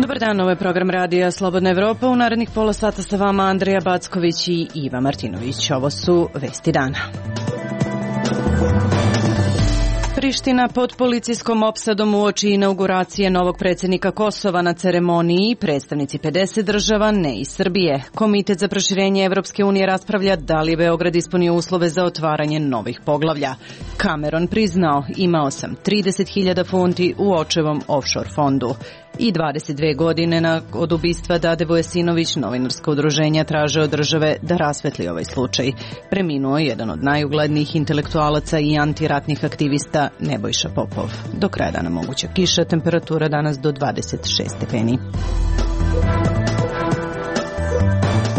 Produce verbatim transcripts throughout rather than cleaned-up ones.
Dobar dan, ovo je program radija Slobodna Evropa. U narednih pola sata sa vama Andreja Backović i Iva Martinović. Ovo su vesti dana. Priština pod policijskom opsadom uoči inauguracije novog predsjednika Kosova na ceremoniji, predstavnici pedeset država, ne i Srbije. Komitet za proširenje Evropske unije raspravlja da li je Beograd ispunio uslove za otvaranje novih poglavlja. Cameron priznao, imao sam trideset hiljada funti u očevom offshore fondu. I dvadeset dve godine od ubistva Dade Vujasinović, novinarsko udruženja traže od države da rasvetli ovaj slučaj. Preminuo je jedan od najuglednijih intelektualaca i antiratnih aktivista Nebojša Popov. Do kraja dana moguća kiša, temperatura danas do dvadeset šest stepeni.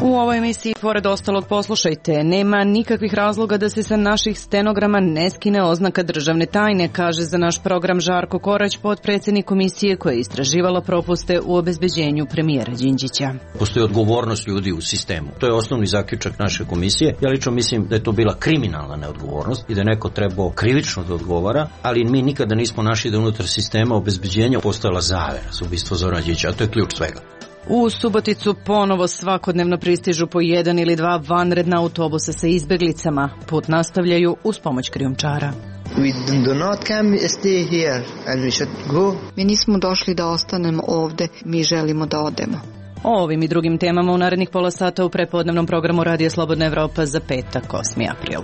U ovoj emisiji, pored ostalog, poslušajte, nema nikakvih razloga da se sa naših stenograma ne skine oznaka državne tajne, kaže za naš program Žarko Korać, potpredsjednik komisije koja je istraživala propuste u obezbeđenju premijera Đinđića. Postoji odgovornost ljudi u sistemu. To je osnovni zaključak naše komisije. Ja lično mislim da je to bila kriminalna neodgovornost i da je neko trebao krivično da odgovara, ali mi nikada nismo našli da unutar sistema obezbeđenja postojala zavera za ubistvo Zorana Đinđića, a to je ključ svega. U Suboticu ponovo svakodnevno pristižu po jedan ili dva vanredna autobusa sa izbeglicama. Put nastavljaju uz pomoć krijumčara. We do not come stay here and we should go. Mi nismo došli da ostanemo ovde, mi želimo da odemo. O ovim i drugim temama u narednih pola sata u prepodnevnom programu Radija Slobodna Evropa za petak, osmi april.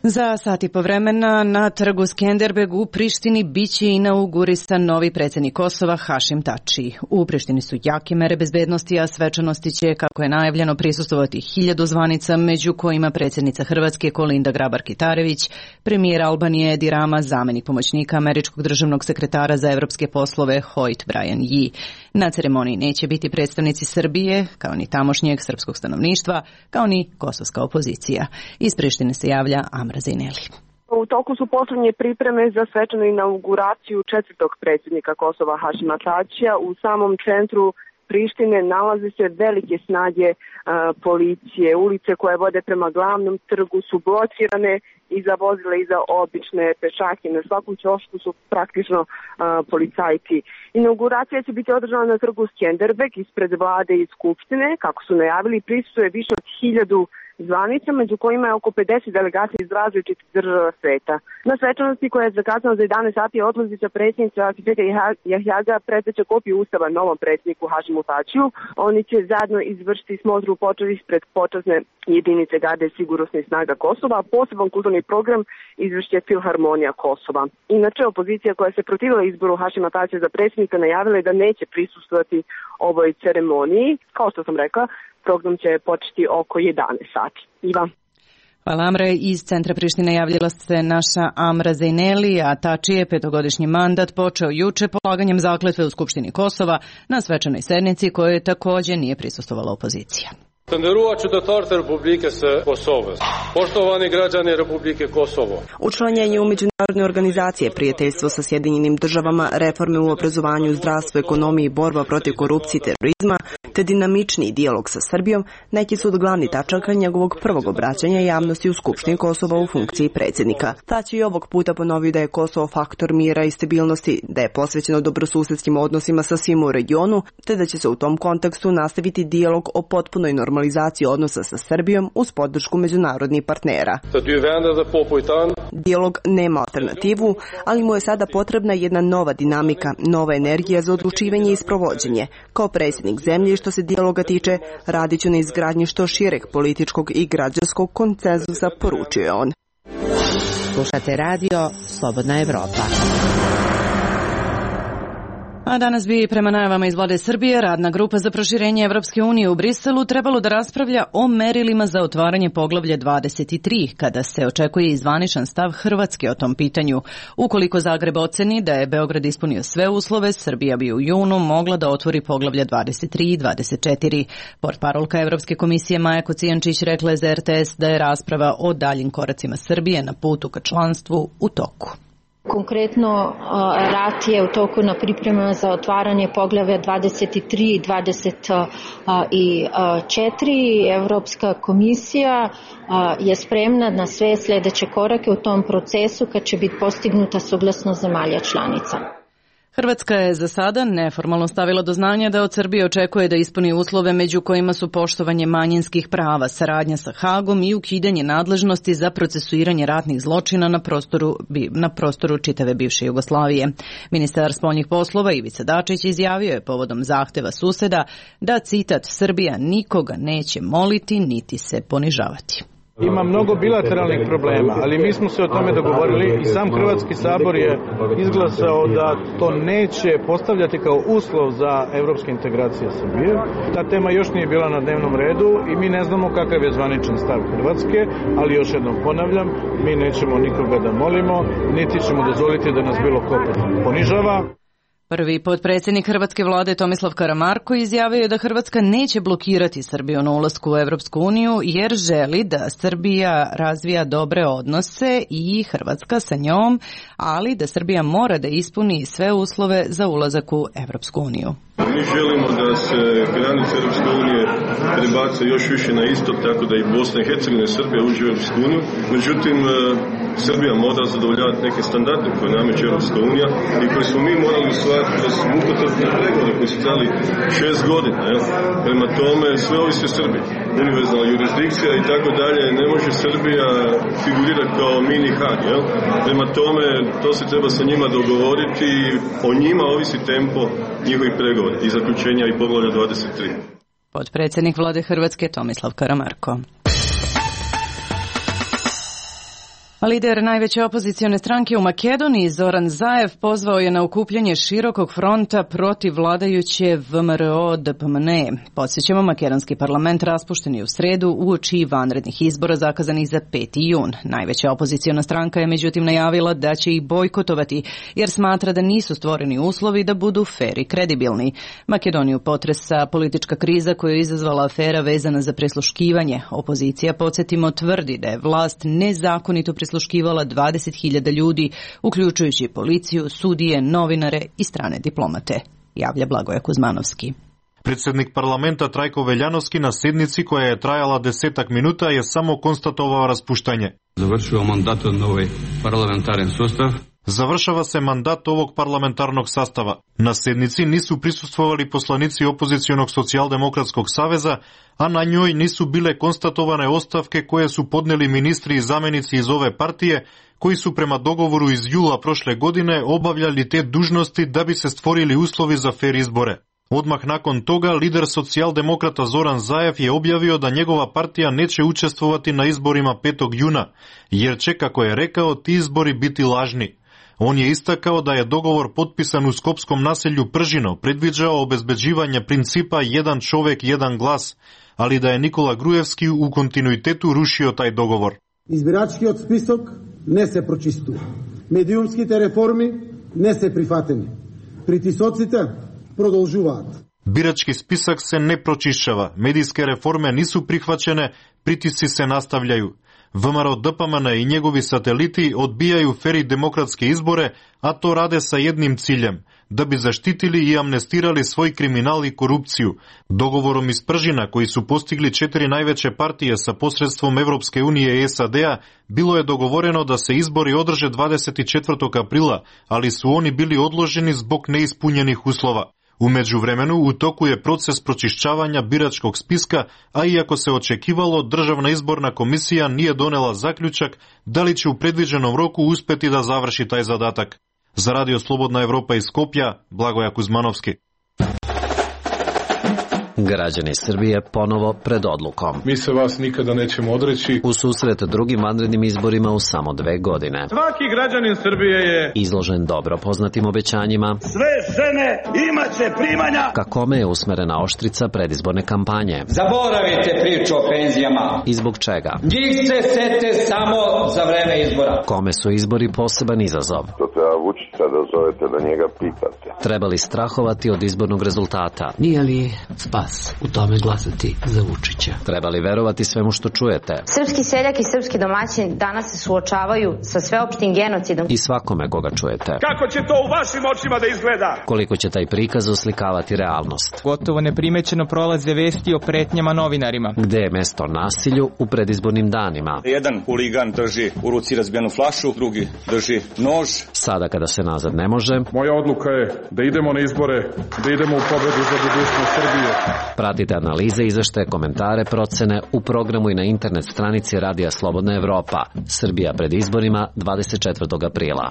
Za sat i po vremena na trgu Skenderbeg u Prištini biće inaugurisan novi predsjednik Kosova Hašim Tači. U Prištini su jake mere bezbednosti, a svečanosti će, kako je najavljeno, prisustvovati hiljadu zvanica, među kojima predsjednica Hrvatske Kolinda Grabar-Kitarević, premijer Albanije Edi Rama, zamenik pomoćnika američkog državnog sekretara za evropske poslove Hoyt Brian Yee. Na ceremoniji neće biti predstavnici Srbije, kao ni tamošnjeg srpskog stanovništva, kao ni kosovska opozicija. Iz Prištine se javlja Amra Zaineli. U toku su poslednje pripreme za svečanu inauguraciju četvrtog predsjednika Kosova Hašima Tačija. U samom centru Prištine nalaze se velike snage a, policije. Ulice koje vode prema glavnom trgu su blokirane i za vozile i za obične pešake. Na svakom ćošku su praktično a, policajci. Inauguracija će biti održana na trgu Skenderbeg ispred vlade i skupštine. Kako su najavili, prisustvuje više od hiljadu zvanica, među kojima je oko pedeset delegacija iz različitih država sveta. Na svečanosti koja je zakazana za jedanaest sati odlazi sa predsjednica Atifeta Jahjaga predaće kopiju ustava novom predsjedniku Hašimu Tačiju. Oni će zajedno izvršiti smotru počeli ispred počasne jedinice garde sigurnosnih snaga Kosova, a poseban kulturni program izvršće Filharmonija Kosova. Inače, opozicija koja se protivila izboru Hašima Tačija za predsjednika najavila je da neće prisustvovati ovoj ceremoniji. Kao što sam rekla, program će početi oko jedanaest sati. Iva. Hvala, Amre. Iz centra Prištine javljala se naša Amra Zaineli, a Tači je petogodišnji mandat počeo juče polaganjem zakletve u Skupštini Kosova na svečanoj sednici kojoj također nije prisustvovala opozicija. Të nderuar qytetarët e Republikës së Kosovës, poštovani građani Republike Kosovo. Učlanjenje u međunarodne organizacije, prijateljstvo sa Sjedinjenim državama, reforme u obrazovanju, zdravstvu, ekonomiji, borba protiv korupcije i terorizma, te dinamičniji dijalog sa Srbijom, neki su od glavnih tačaka njegovog prvog obraćanja javnosti u Skupštini Kosova u funkciji predsjednika. Tači je ovog puta ponovio da je Kosovo faktor mira i stabilnosti, da je posvećeno dobrosusedskim odnosima sa svima u regionu, te da će se u tom kontekstu nastaviti dijalog o potpunoj normalizaciji odnosa sa Srbijom uz podršku međunarodnih partnera. Dijalog nema alternativu, ali mu je sada potrebna jedna nova dinamika, nova energija za odlučivanje i sprovođenje. Kao predsjednik zemlje, što se dijaloga tiče, radit ću na izgradnji što šireg političkog i građanskog konsenzusa, poručio je on. Slušate radio Slobodna Evropa. A danas bi prema najavama iz vlade Srbije radna grupa za proširenje Evropske unije u Briselu trebalo da raspravlja o merilima za otvaranje poglavlja dvadeset tri, kada se očekuje i zvaničan stav Hrvatske o tom pitanju. Ukoliko Zagreb oceni da je Beograd ispunio sve uslove, Srbija bi u junu mogla da otvori poglavlja dvadeset tri i dvadeset četiri. Portparolka Evropske komisije Maja Kocijančić rekla je za R T S da je rasprava o daljim koracima Srbije na putu ka članstvu u toku. Konkretno, rat je u toku na pripremama za otvaranje poglavlja dvadeset tri i dvadeset četiri. Evropska komisija je spremna na sve sljedeće korake u tom procesu kad će biti postignuta saglasnost zemalja članica. Hrvatska je za sada neformalno stavila do znanja da od Srbije očekuje da ispuni uslove među kojima su poštovanje manjinskih prava, saradnja sa Hagom i ukidanje nadležnosti za procesuiranje ratnih zločina na prostoru, na prostoru čitave bivše Jugoslavije. Ministar spoljnih poslova Ivica Dačić izjavio je povodom zahteva suseda da, citat, Srbija nikoga neće moliti niti se ponižavati. Ima mnogo bilateralnih problema, ali mi smo se o tome dogovorili i sam Hrvatski sabor je izglasao da to neće postavljati kao uslov za evropske integracije Srbije. Ta tema još nije bila na dnevnom redu i mi ne znamo kakav je zvaničan stav Hrvatske, ali još jednom ponavljam, mi nećemo nikoga da molimo, niti ćemo dozvoliti da nas bilo ko ponižava. Prvi potpredsjednik hrvatske vlade Tomislav Karamarko izjavio je da Hrvatska neće blokirati Srbiju na ulasku u Evropsku uniju jer želi da Srbija razvija dobre odnose i Hrvatska sa njom, ali da Srbija mora da ispuni sve uslove za ulazak u Evropsku uniju. Mi želimo da se granice Europske unije prebace još više na istok, tako da i Bosna i Hercegovina i Srbija uđe u Europsku uniju. Međutim, Srbija mora zadovoljavati neke standarde koje nameće Europska unija i koje smo mi morali usvajati kroz mukotrpne pregovore koji su trajali šest godina. Ja? Prema tome, sve ovisi o Srbiji. Univerzalna jurisdikcija i tako dalje. Ne može Srbija figurirati kao mini Hag. Ja? Prema tome, to se treba sa njima dogovoriti i o njima ovisi tempo njihovih pregovora i zaključenja i poglavlja dvadeset tri. Potpredsjednik vlade Hrvatske Tomislav Karamarko. Lider najveće opozicione stranke u Makedoniji, Zoran Zaev, pozvao je na okupljanje širokog fronta protiv vladajuće V M R O D P M N E. Podsjećamo, makedonski parlament raspušten je u sredu uoči vanrednih izbora zakazanih za peti jun. Najveća opoziciona stranka je međutim najavila da će ih bojkotovati jer smatra da nisu stvoreni uslovi da budu fer i kredibilni. Makedoniju potresa politička kriza koju je izazvala afera vezana za prisluškivanje. Opozicija, podsjetimo, tvrdi da je vlast nezakonito prisluškivala dvadeset hiljada ljudi, uključujući policiju, sudije, novinare i strane diplomate, javlja Blagoje Kuzmanovski. Predsednik parlamenta Trajko Veljanovski na sednici koja je trajala desetak minuta je samo konstatovao raspuštanje. Završio mandat na ovaj parlamentarni sustav. Završava se mandat ovog parlamentarnog sastava. Na sednici nisu prisustvovali poslanici opozicionog socijaldemokratskog saveza, a na njoj nisu bile konstatovane ostavke koje su podneli ministri i zamenici iz ove partije, koji su prema dogovoru iz jula prošle godine obavljali te dužnosti da bi se stvorili uslovi za fer izbore. Odmah nakon toga, lider socijaldemokrata Zoran Zaev je objavio da njegova partija neće učestvovati na izborima petog juna, jer će, kako je rekao, ti izbori biti lažni. On je istakao da je dogovor potpisan u skopskom naselju Pržino predviđao obezbeđivanje principa jedan čovek, jedan glas, ali da je Nikola Grujevski u kontinuitetu rušio taj dogovor. Избирачкиот список не се прочистува. Медиумските реформи не се прифатени. Притисоците продолжуваат. Birački spisak se ne pročišćava, medijske reforme nisu prihvaćene, pritisci se nastavljaju. V M R O D P M N i njegovi sateliti odbijaju fer i demokratske izbore, a to rade sa jednim ciljem, da bi zaštitili i amnestirali svoj kriminal i korupciju. Dogovorom iz Pržina, koji su postigli četiri najveće partije sa posredstvom Evropske unije i S A D-a, bilo je dogovoreno da se izbori održe dvadeset četvrtog aprila, ali su oni bili odloženi zbog neispunjenih uslova. U međuvremenu u toku je proces pročišćavanja biračkog spiska, a iako se očekivalo, Državna izborna komisija nije donela zaključak da li će u predviđenom roku uspeti da završi taj zadatak. Za Radio Slobodna Evropa iz Skopja, Blagoje Kuzmanovski. Građani Srbije ponovo pred odlukom. Mi se vas nikada nećemo odreći. U susret drugim vanrednim izborima u samo dve godine. Svaki građanin Srbije je izložen dobro poznatim obećanjima. Sve žene imaće primanja. Ka kome je usmerena oštrica predizborne kampanje. Zaboravite priču o penzijama. I zbog čega? Njih se sete samo za vreme izbora. Kome su izbori poseban izazov? To treba Vučića da zovete da njega pitate. Treba li strahovati od izbornog rezultata? Nije li spas glas u tome glasati za Vučića. Treba li verovati svemu što čujete? Srpski seljak i srpski domaćin danas se suočavaju sa sveopštim genocidom. I svakome koga čujete. Kako će to u vašim očima da izgleda? Koliko će taj prikaz oslikavati realnost? Gotovo neprimećeno prolaze vesti o pretnjama novinarima. Gde je mesto nasilju u predizbornim danima? Jedan huligan drži u ruci razbijenu flašu, drugi drži nož. Sada kada se nazad ne može. Moja odluka je da idemo na izbore, da idemo u pobedu za budućnost Srbije. Pratite analize, izveštaje, komentare, procene u programu i na internet stranici Radija Slobodna Evropa. Srbija pred izborima dvadeset četvrtog aprila.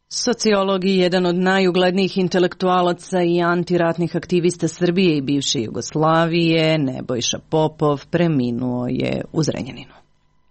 Sociolog i jedan od najuglednijih intelektualaca i antiratnih aktivista Srbije i bivše Jugoslavije, Nebojša Popov, preminuo je u Zrenjaninu.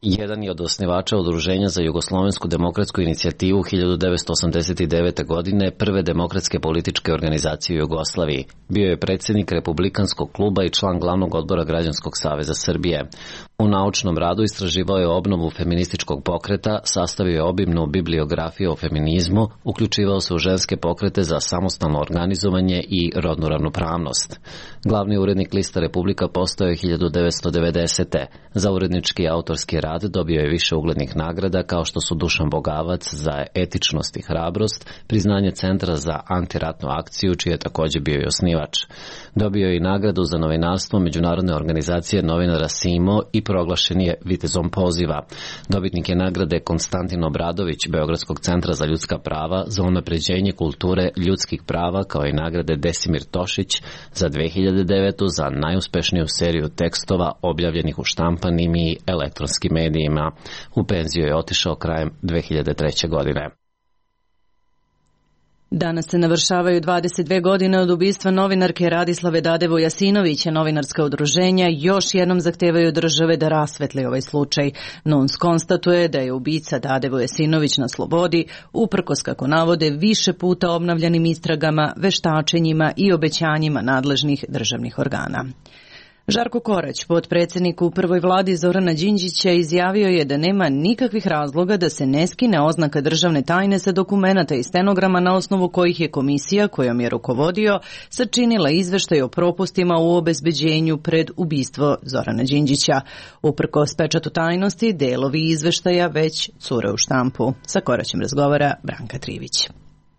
Jedan je od osnivača Udruženja za jugoslovensku demokratsku inicijativu hiljadu devetsto osamdeset devete. godine, prve demokratske političke organizacije u Jugoslaviji. Bio je predsjednik Republikanskog kluba i član glavnog odbora Građanskog saveza Srbije. U naučnom radu istraživao je obnovu feminističkog pokreta, sastavio je obimnu bibliografiju o feminizmu, uključivao se u ženske pokrete za samostalno organizovanje i rodnu ravnopravnost. Glavni urednik lista Republika postao je hiljadu devetsto devedesete. Za urednički i autorski rad dobio je više uglednih nagrada kao što su Dušan Bogavac za etičnost i hrabrost, priznanje Centra za antiratnu akciju, čiji je također bio i osnivač. Dobio je i nagradu za novinarstvo Međunarodne organizacije novinara SIMO i proglašen je vitezom poziva. Dobitnik je nagrade Konstantin Obradović Beogradskog centra za ljudska prava za unapređenje kulture ljudskih prava, kao i nagrade Desimir Tošić za dve hiljade devetu. za najuspešniju seriju tekstova objavljenih u štampanim i elektronskim medijima. U penziju je otišao krajem dve hiljade treće. godine. Danas se navršavaju dvadeset dve godine od ubistva novinarke Radislave Dadevo Jasinovića. Novinarska udruženja još jednom zahtevaju države da rasvetli ovaj slučaj. N U N S konstatuje da je ubica Dadevo Jasinović na slobodi, uprkos, kako navode, više puta obnavljanim istragama, veštačenjima i obećanjima nadležnih državnih organa. Žarko Korać, potpredsjednik u prvoj vladi Zorana Đinđića, izjavio je da nema nikakvih razloga da se ne skine oznaka državne tajne sa dokumenata i stenograma na osnovu kojih je komisija kojom je rukovodio sačinila izveštaj o propustima u obezbeđenju pred ubistvo Zorana Đinđića. Uprkos pečatu tajnosti, delovi izveštaja već cure u štampu. Sa Koraćem razgovara Branka Trivić.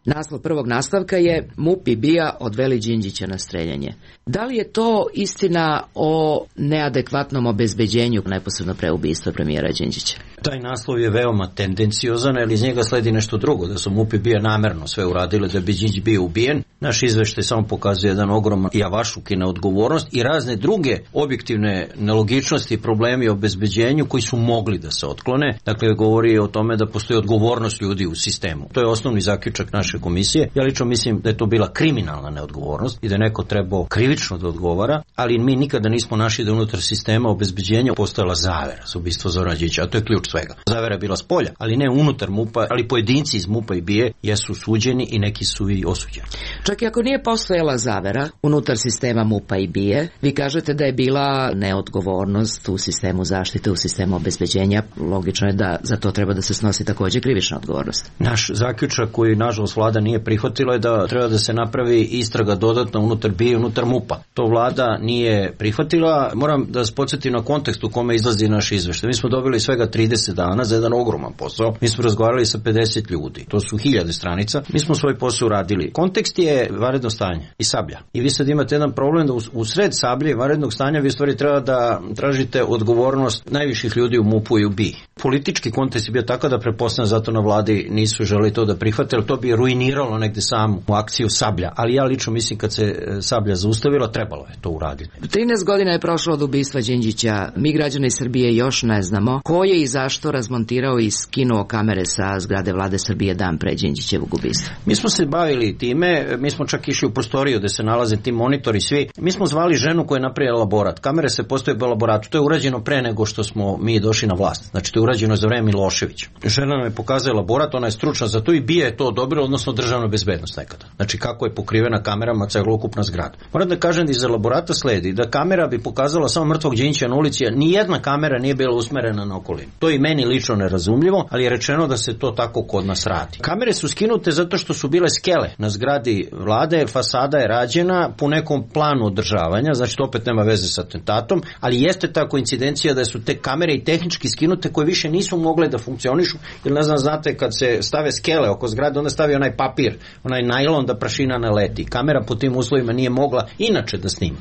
Naslov prvog nastavka je M U P i B I A odveli Đinđića na streljanje. Da li je to istina o neadekvatnom obezbeđenju neposredno pre ubistva premijera Đinđića? Taj naslov je veoma tendenciozan, jer iz njega sledi nešto drugo, da su M U P i B I A namerno sve uradile da bi Đinđić bio ubijen. Naš izveštaj samo pokazuje jedan ogroman javašluk i neodgovornost i razne druge objektivne nelogičnosti i problemi o obezbeđenju koji su mogli da se otklone. Dakle, govori o tome da postoji odgovornost ljudi u sistemu. To je osnovni zaključak naše komisije. Ja lično mislim da je to bila kriminalna neodgovornost i da je neko trebao krivično da odgovara, ali mi nikada nismo našli da unutar sistema obezbeđenja postojala zavera za ubistvo Zorana Đinđića, a to je ključ svega. Zavera je bila spolja, ali ne unutar M U P-a, ali pojedinci iz M U P-a i B I A jesu suđeni i neki su i osuđeni. Čak i ako nije postojala zavera unutar sistema M U P-a i B I A, vi kažete da je bila neodgovornost u sistemu zaštite, u sistemu obezbeđenja. Logično je da za to treba da se snosi također krivična odgovornost. Naš zaključak koji nažalost vlada nije prihvatila je da treba da se napravi istraga dodatno unutar B I A i unutar M U P-a. To vlada nije prihvatila. Moram da vas podsjetim na kontekst u kome izlazi naš izveštaj. Mi smo dobili svega trideset dana za jedan ogroman posao. Mi smo razgovarali sa pedeset ljudi. To su hiljade stranica. Mi smo svoj posao uradili. Kontekst je vanredno stanje i Sablja. I vi sad imate jedan problem da u sred Sablje i vanrednog stanja vi stvari treba da tražite odgovornost najviših ljudi u M U P-u i u B I A. Politički kontekst je bio tako da pretpostavljam zato na vladi nisu želi to da prihvate, jer to bi ruiniralo negde samu akciju Sablja. Ali ja lično mislim kad se Sablja zaustavila, trebalo je to uraditi. trinaest godina je prošlo od ubistva Đinđića. Mi građani Srbije još ne znamo ko je i zašto razmontirao i skinuo kamere sa zgrade vlade Srbije dan pre Đinđićevog ubistva. Mi smo se bavili time, mi smo čak išli u prostoriju gde se nalaze ti monitori svi. Mi smo zvali ženu koja je napravila laborat. Kamere se postoje u laboratu. To je urađeno pre nego što smo mi došli na vlast. Znači to je urađeno za vreme Miloševića. Žena nam je pokazala laborat, ona je stručna za to i B I A je to odobrila, odnosno odnosno državna bezbednost nekada. Znači kako je pokrivena kamerama celokupna zgrada. Moram da kažem da iz elaborata sledi da kamera bi pokazala samo mrtvog Đinđića na ulici, a nijedna kamera nije bila usmerena na okolinu. To je meni lično nerazumljivo, ali je rečeno da se to tako kod nas radi. Kamere su skinute zato što su bile skele na zgradi vlade, fasada je rađena po nekom planu održavanja, znači to opet nema veze sa atentatom, ali jeste ta koincidencija da su te kamere i tehnički skinute koje više nisu mogle da funkcionišu, jer ne znam, znate, kad se stave skele oko zgrade, onda stavi onaj papir, onaj najlon da prašina ne leti. Kamera po tim uslovima nije mogla inače da snima.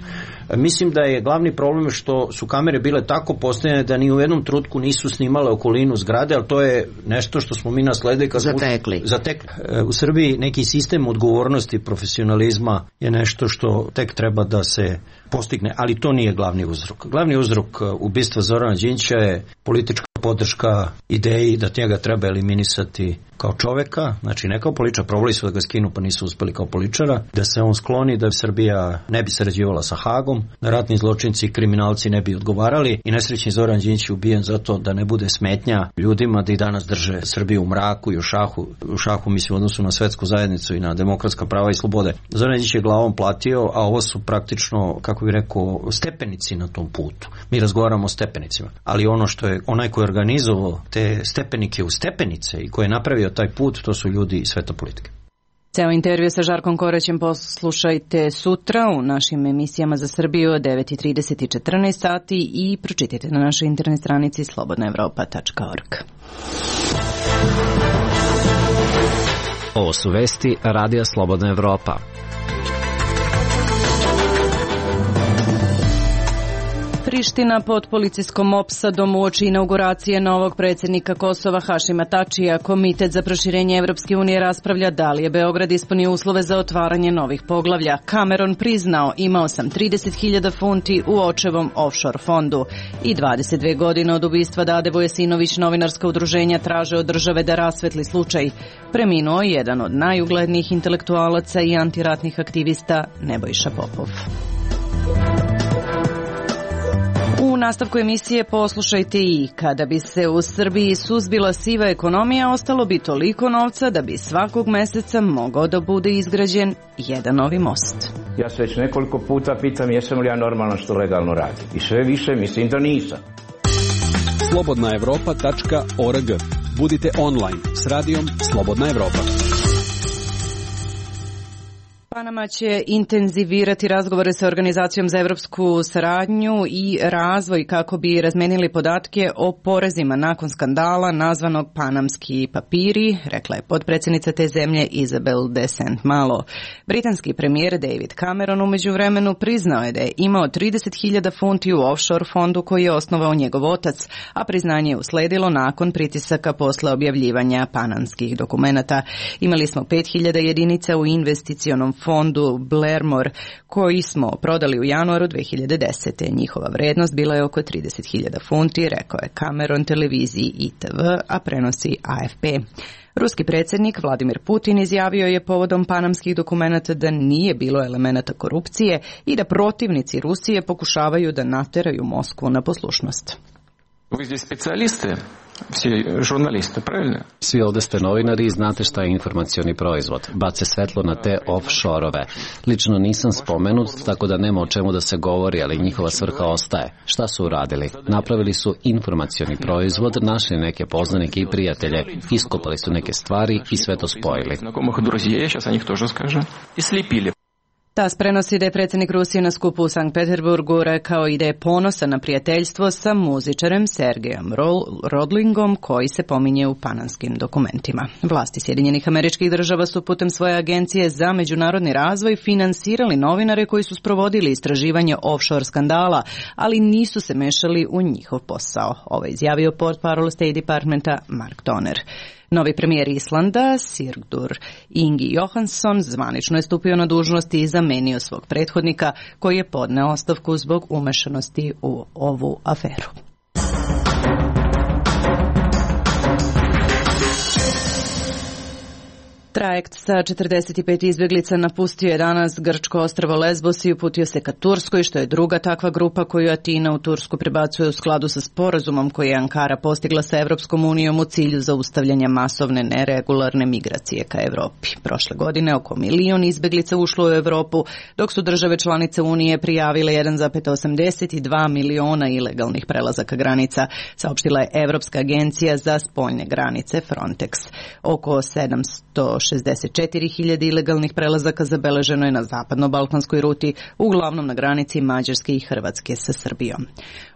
Mislim da je glavni problem što su kamere bile tako postavljene da ni u jednom trenutku nisu snimale okolinu zgrade, ali to je nešto što smo mi nasledili kad smo zatekli. zatekli. U Srbiji neki sistem odgovornosti, profesionalizma je nešto što tek treba da se postigne, ali to nije glavni uzrok. Glavni uzrok ubistva Zorana Đinđića je politička podrška ideji da njega treba eliminisati kao čoveka, znači ne kao političar, probali su da ga skinu pa nisu uspeli kao političara, da se on skloni, da Srbija ne bi sarađivala sa Hagom, da ratni zločinci i kriminalci ne bi odgovarali i nesrećni Zoran Đinđić je ubijen zato da ne bude smetnja ljudima da i danas drže Srbiju u mraku i u šahu, u šahu mislim u odnosu na svetsku zajednicu i na demokratska prava i slobode. Zoran Đinđić je glavom platio, a ovo su praktično, kako bih rekao, stepenici na tom putu. Mi razgovaramo o stepenicima, ali ono što je onaj koji je organizovao te stepenike u stepenice i koji je napravio taj put, to su ljudi iz sveta politike. Ceo intervju sa Žarkom Koraćem poslušajte sutra u našim emisijama za Srbiju od devet i trideset i četrnaest sati i pročitajte na našoj internet stranici slobodna evropa tačka org. Ovo su vesti Radija Slobodna Evropa. Priština pod policijskom opsadom uoči inauguracije novog predsjednika Kosova Hašima Tačija. Komitet za proširenje Evropske unije raspravlja da li je Beograd ispunio uslove za otvaranje novih poglavlja. Cameron priznao imao sam trideset hiljada funti u očevom offshore fondu. I dvadeset dve godine od ubistva Dade Vujasinović novinarska udruženja traže od države da rasvetli slučaj. Preminuo je jedan od najuglednijih intelektualaca i antiratnih aktivista Nebojša Popov. U nastavku emisije poslušajte i kada bi se u Srbiji suzbila siva ekonomija, ostalo bi toliko novca da bi svakog meseca mogao da bude izgrađen jedan novi most. Ja se već nekoliko puta pitam jesam li ja normalno što legalno radim. I sve više mislim da nisam. slobodna evropa tačka org. Budite online s radijom Slobodna Evropa. Panama će intenzivirati razgovore sa Organizacijom za evropsku saradnju i razvoj kako bi razmenili podatke o porezima nakon skandala nazvanog Panamski papiri, rekla je potpredsjednica te zemlje Isabel de Saint Malo. Britanski premijer David Cameron u međuvremenu priznao je da je imao trideset hiljada funti u offshore fondu koji je osnovao njegov otac, a priznanje je usledilo nakon pritisaka posle objavljivanja panamskih dokumenata. Imali smo pet hiljada jedinica u investicionom fondu Blairmore koji smo prodali u januaru dve hiljade desete. Njihova vrednost bila je oko trideset hiljada funti, rekao je Cameron televiziji I T V, a prenosi A F P. Ruski predsjednik Vladimir Putin izjavio je povodom panamskih dokumenata da nije bilo elemenata korupcije i da protivnici Rusije pokušavaju da nateraju Moskvu na poslušnost. Вы здесь специалисты, все журналисты, правильно? Svi ovde ste novinari i znate šta je informacioni proizvod. Bace svetlo na te offshore-ove. Lično nisam spomenut, tako da nema o čemu da se govori, ali njihova svrha ostaje. Šta su uradili? Napravili su informacioni proizvod, našli neke poznanike i prijatelje, iskopali su neke stvari i sve to spojili. Знакомых друзей, сейчас о них тоже скажем, и слепили. TAS prenosi da je predsjednik Rusije na skupu u Sankt Peterburgu rekao i da je ponosan na prijateljstvo sa muzičarem Sergejom Rodlingom koji se pominje u panamskim dokumentima. Vlasti Sjedinjenih Američkih Država su putem svoje agencije za međunarodni razvoj finansirali novinare koji su sprovodili istraživanje offshore skandala, ali nisu se mešali u njihov posao. Ovo je izjavio portparol State Departmenta Mark Toner. Novi premijer Islanda, Sigurdur Ingi Johansson, zvanično je stupio na dužnost i zamenio svog prethodnika koji je podneo ostavku zbog umešanosti u ovu aferu. Trajekt sa četrdeset pet izbjeglica napustio je danas grčko ostrvo Lesbos i uputio se ka Turskoj, što je druga takva grupa koju Atina u Tursku prebacuje u skladu sa sporazumom koji je Ankara postigla sa Evropskom unijom u cilju zaustavljanja masovne neregularne migracije ka Evropi. Prošle godine oko milion izbjeglica ušlo u Evropu, dok su države članice Unije prijavile jedan zarez osamdeset dva miliona ilegalnih prelazaka granica, saopštila je Evropska agencija za spoljne granice Frontex. Oko sedamsto šezdeset četiri hiljade ilegalnih prelazaka zabeleženo je na zapadno-balkanskoj ruti, uglavnom na granici Mađarske i Hrvatske sa Srbijom.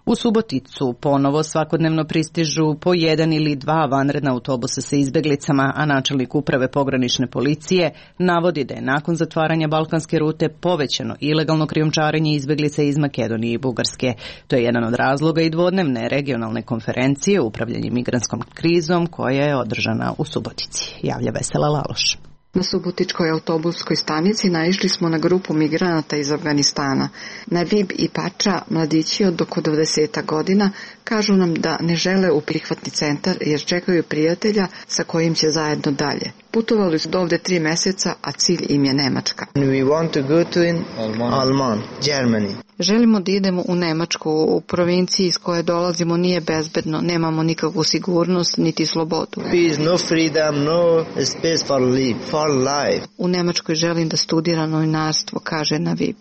U Suboticu ponovo svakodnevno pristižu po jedan ili dva vanredna autobusa sa izbeglicama, a načelnik uprave pogranične policije navodi da je nakon zatvaranja balkanske rute povećano ilegalno krijumčarenje izbeglica iz Makedonije i Bugarske. To je jedan od razloga i dvodnevne regionalne konferencije o upravljanju migrantskom krizom koja je održana u Subotici. Javlja Vesela Laloš. Na Subotičkoj autobuskoj stanici naišli smo na grupu migranata iz Afganistana. Navib i Pača, mladići od oko dvadeset godina, kažu nam da ne žele u prihvatni centar jer čekaju prijatelja sa kojim će zajedno dalje. Putovali su dovde tri meseca, a cilj im je Nemačka. We want to go to in Alman, Germany. Želimo da idemo u Nemačku. U provinciji iz koje dolazimo nije bezbedno, nemamo nikakvu sigurnost niti slobodu. Peace, no freedom, no space for life, for life. U Nemačkoj želim da studiram novinarstvo, kaže Navib.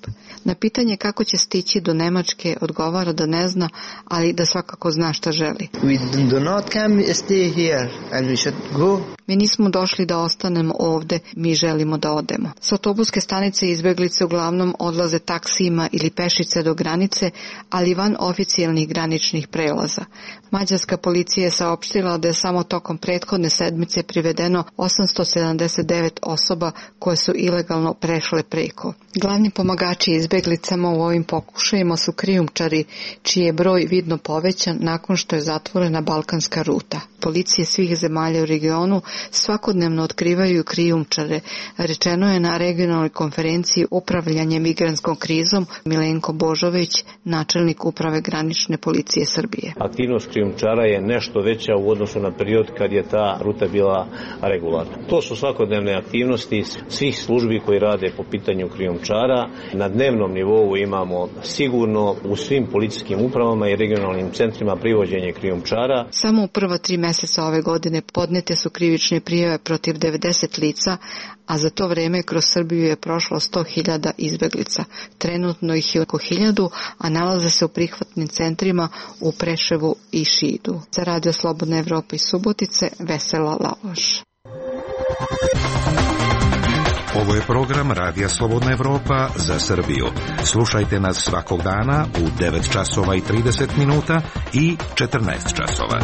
Na pitanje kako će stići do Nemačke odgovara da ne zna, ali da svakako zna šta želi. We do not come stay here and we should go. Mi nismo došli da ostanemo ovde, mi želimo da odemo. S autobuske stanice izbeglice uglavnom odlaze taksijima ili pešice do granice, ali van oficijalnih graničnih prelaza. Mađarska policija je saopštila da je samo tokom prethodne sedmice privedeno osamsto sedamdeset devet osoba koje su ilegalno prešle preko. Glavni pomagači izbeglicama u ovim pokušajima su krijumčari, čiji je broj vidno povećan nakon što je zatvorena balkanska ruta. Policije svih zemalja u regionu svakodnevno otkrivaju krijumčare, rečeno je na regionalnoj konferenciji upravljanje migrantskom krizom Milenko Božović, načelnik uprave granične policije Srbije. Aktivnost krijumčara je nešto veća u odnosu na period kad je ta ruta bila regularna. To su svakodnevne aktivnosti svih službi koji rade po pitanju krijumčara. Na dnevnom nivou imamo sigurno u svim policijskim upravama i regionalnim centrima privođenje krijumčara. Samo u prva tri meseca ove godine podnete su krivične prijave protiv devedeset lica, a za to vreme kroz Srbiju je prošlo sto hiljada izbeglica. Trenutno ih je oko hiljadu, a nalaze se u prihvatnim centrima u Preševu i Šidu. Za Radio Slobodna Evropa iz Subotice, Vesela Laloš. Ovo je program Radija Slobodna Evropa za Srbiju. Slušajte nas svakog dana u devet časova i trideset minuta i četrnaest časova.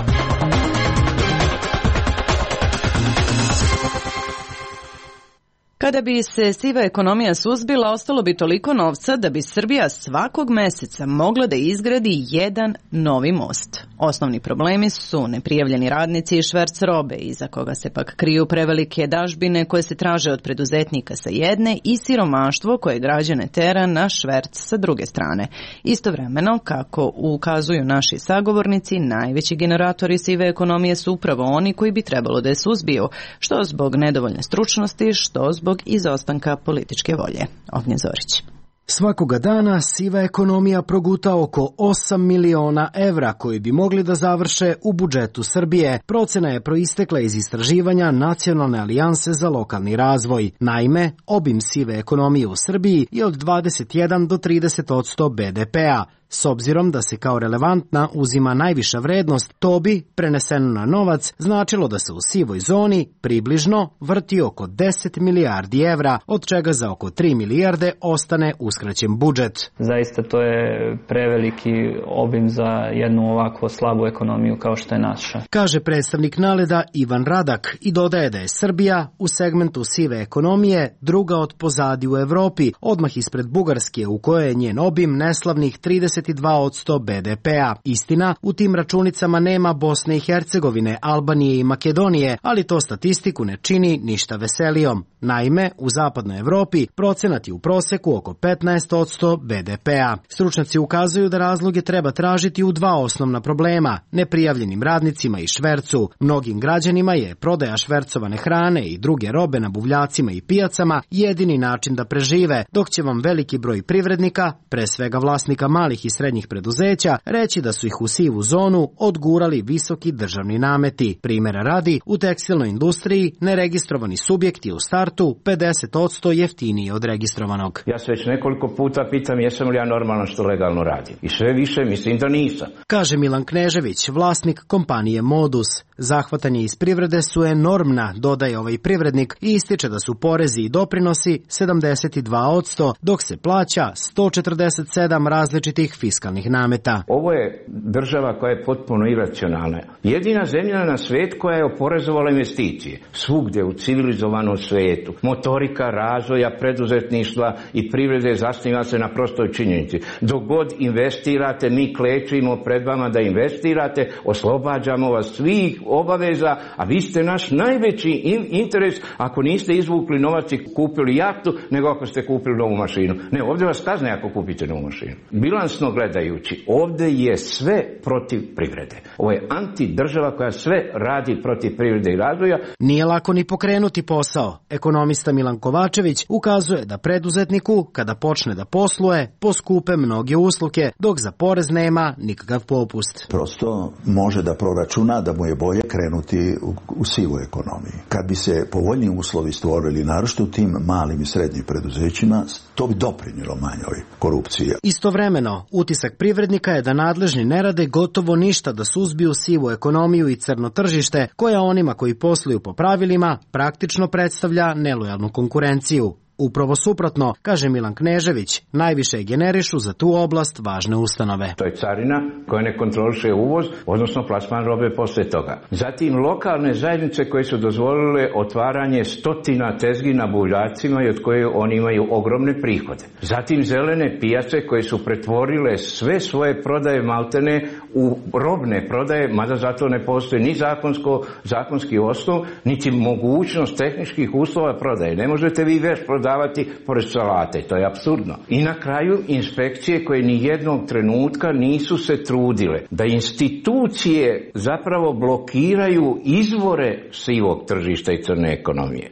Kada bi se siva ekonomija suzbila, ostalo bi toliko novca da bi Srbija svakog meseca mogla da izgradi jedan novi most. Osnovni problemi su neprijavljeni radnici i šverc robe, iza koga se pak kriju prevelike dažbine koje se traže od preduzetnika sa jedne i siromaštvo koje građane tera na šverc sa druge strane. Istovremeno, kako ukazuju naši sagovornici, najveći generatori sive ekonomije su upravo oni koji bi trebalo da je suzbiju, što zbog nedovoljne stručnosti, što zbog izostanka političke volje. Ognjen Zorić. Svakoga dana siva ekonomija proguta oko osam miliona evra koji bi mogli da završe u budžetu Srbije. Procena je proistekla iz istraživanja Nacionalne alijanse za lokalni razvoj. Naime, obim sive ekonomije u Srbiji je od dvadeset jedan do trideset odsto be de pea. S obzirom da se kao relevantna uzima najviša vrednost, to bi, preneseno na novac, značilo da se u sivoj zoni približno vrti oko deset milijardi evra, od čega za oko tri milijarde ostane uskraćen budžet. Zaista to je preveliki obim za jednu ovako slabu ekonomiju kao što je naša. Kaže predstavnik Naleda Ivan Radak i dodaje da je Srbija u segmentu sive ekonomije druga od pozadi u Evropi, odmah ispred Bugarske u kojoj je njen obim neslavnih trideset dva odsto be de pea. Istina, u tim računicama nema Bosne i Hercegovine, Albanije i Makedonije, ali to statistiku ne čini ništa veselijom. Naime, u zapadnoj Evropi procenat je u proseku oko petnaest posto be de pea. Stručnjaci ukazuju da razloge treba tražiti u dva osnovna problema, neprijavljenim radnicima i švercu. Mnogim građanima je prodaja švercovane hrane i druge robe na buvljacima i pijacama jedini način da prežive, dok će vam veliki broj privrednika, pre svega vlasnika malih i srednjih preduzeća, reći da su ih u sivu zonu odgurali visoki državni nameti. Primera radi, u tekstilnoj industriji neregistrovani subjekt je u startu pedeset posto jeftiniji od registrovanog. Ja se već nekoliko puta pitam jesam li ja normalan što legalno radim. I sve više mislim da nisam. Kaže Milan Knežević, vlasnik kompanije Modus. Zahvatanje iz privrede su enormna, dodaje ovaj privrednik i ističe da su porezi i doprinosi sedamdeset dva posto, dok se plaća sto četrdeset sedam različitih fiskalnih nameta. Ovo je država koja je potpuno iracionalna. Jedina zemlja na svijetu koja je oporezovala investicije. Svugdje u civilizovanom svijetu. Motorika razvoja, preduzetništva i privrede zasniva se na prostoj činjenici. Dok god investirate, mi klečimo pred vama da investirate, oslobađamo vas svih obaveza, a vi ste naš najveći interes ako niste izvukli novac i kupili jahtu, nego ako ste kupili novu mašinu. Ne, ovdje vas kazne ako kupite novu mašinu. Bilansno gledajući, ovdje je sve protiv privrede. Ovo je antidržava koja sve radi protiv privrede i razvoja. Nije lako ni pokrenuti posao. Ekonomista Milan Kovačević ukazuje da preduzetniku, kada počne da posluje, poskupe mnoge usluge, dok za porez nema nikakav popust. Prosto može da proračuna da mu je bolje krenuti u, u sivu ekonomiji. Kad bi se povoljni uslovi stvorili, naročito u tim malim i srednjim preduzećima, to bi doprinjelo manjoj korupciji. Istovremeno, utisak privrednika je da nadležni ne rade gotovo ništa da suzbiju sivu ekonomiju i crno tržište, koja onima koji posluju po pravilima praktično predstavlja nelojalnu konkurenciju. Upravo suprotno, kaže Milan Knežević, najviše generišu za tu oblast važne ustanove. To je carina koja ne kontroliše uvoz, odnosno plasman robe poslije toga. Zatim lokalne zajednice koje su dozvolile otvaranje stotina tezgi na buljacima i od koje oni imaju ogromne prihode. Zatim zelene pijace koje su pretvorile sve svoje prodaje maltene u robne prodaje, mada zato ne postoji ni zakonsko, zakonski osnov, niti mogućnost tehničkih uslova prodaje. Ne možete vi već prodavati pored salate, to je apsurdno. I na kraju inspekcije koje ni jednog trenutka nisu se trudile da institucije zapravo blokiraju izvore sivog tržišta i crne ekonomije.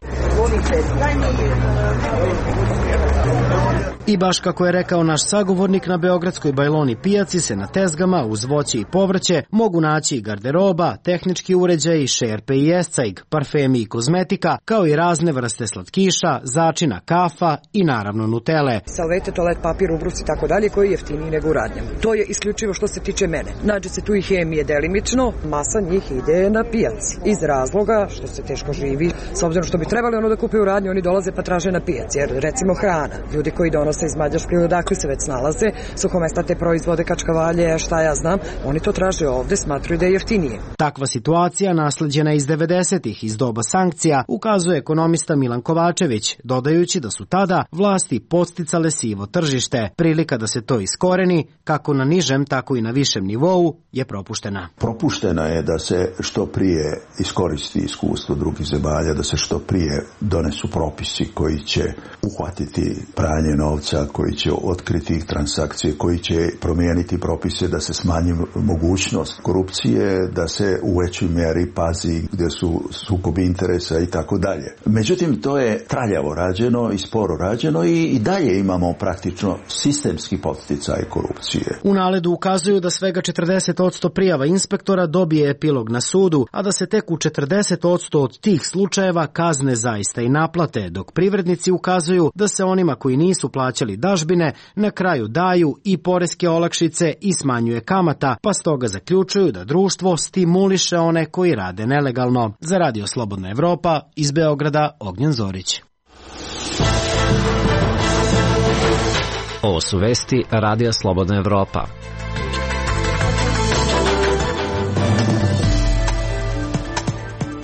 I baš kako je rekao naš sagovornik, na beogradskoj Bajloni pijaci se na tezgama uz voće i povrće mogu naći i garderoba, tehnički uređaji, šerpe i escajg, parfemi i kozmetika, kao i razne vrste slatkiša, začina, kafa i naravno nutele. Salvete, toalet papir, ubrusi i tako dalje, koji je jeftiniji nego u radnjama. To je isključivo što se tiče mene. Nađe se tu i hemije delimično, masa njih ide na pijaci. Iz razloga što se teško živi, s obzirom što bi trebali ono da kupe u radnji, oni dolaze pa traže na pijaci. Jer recimo hrana, ljudi koji donose iz Mađarske ili odakle se već snalaze, suhomestate proizvode, kačkavalje, šta ja znam, oni to traže ovde, smatruju da je jeftinije. Takva situacija, nasleđena iz devedesetih iz doba sankcija, ukazuje ekonomista Milan Kovačević, dodajući da su tada vlasti podsticale sivo tržište. Prilika da se to iskoreni, kako na nižem, tako i na višem nivou, je propuštena. Propuštena je da se što prije iskoristi iskustvo drugih zemalja, da se što prije donesu propisi koji će uhvatiti pranje novca, koji će otkriti transakcije, koji će promijeniti propise da se smanji mogućnost korupcije, da se u većoj mjeri pazi gdje su sukobi interesa i tako dalje. Međutim, to je traljavo rađeno i sporo rađeno i, i dalje imamo praktično sistemski podsticaj korupcije. U naledu ukazuju da svega četrdeset posto prijava inspektora dobije epilog na sudu, a da se tek u četrdeset posto od tih slučajeva kazne zaista i naplate, dok privrednici ukazuju da se onima koji nisu plaćali dažbine na kraju daju i poreske olakšice i smanjuje kamata, pa stoga zaključuju da društvo stimuliše one koji rade nelegalno. Za Radio Slobodna Evropa, iz Beograda, Ognjen Zorić. Ovo su vesti Radija Slobodna Evropa.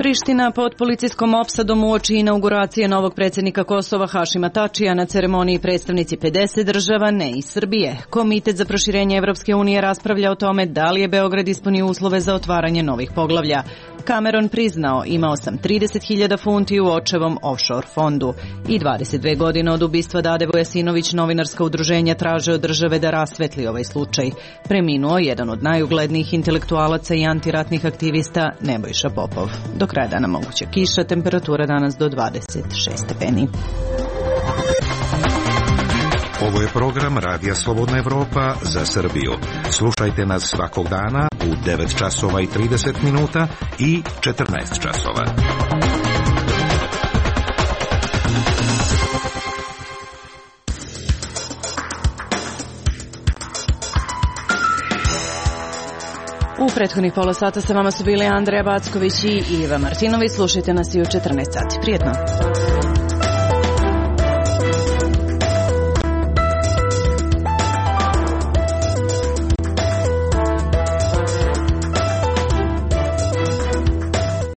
Priština pod policijskom opsadom uoči inauguracije novog predsjednika Kosova Hašima Tačija, na ceremoniji predstavnici pedeset država, ne i Srbije. Komitet za proširenje Evropske unije raspravlja o tome da li je Beograd ispunio uslove za otvaranje novih poglavlja. Cameron priznao, imao sam trideset hiljada funti u očevom offshore fondu. I dvadeset dve godine od ubistva Dade Vujasinović novinarska udruženja traže od države da rasvetli ovaj slučaj. Preminuo jedan od najuglednijih intelektualaca i antiratnih aktivista Nebojša Popov. Do kraja dana moguća kiša, temperatura danas do dvadeset šest stepeni. Ovo je program Radija Slobodna Evropa za Srbiju. Slušajte nas svakog dana u devet časova i trideset minuta i četrnaest časova. U prethodnih pola sata sa vama su bili Andreja Backović i Iva Martinović. Slušajte nas i u četrnaest sati. Prijetno!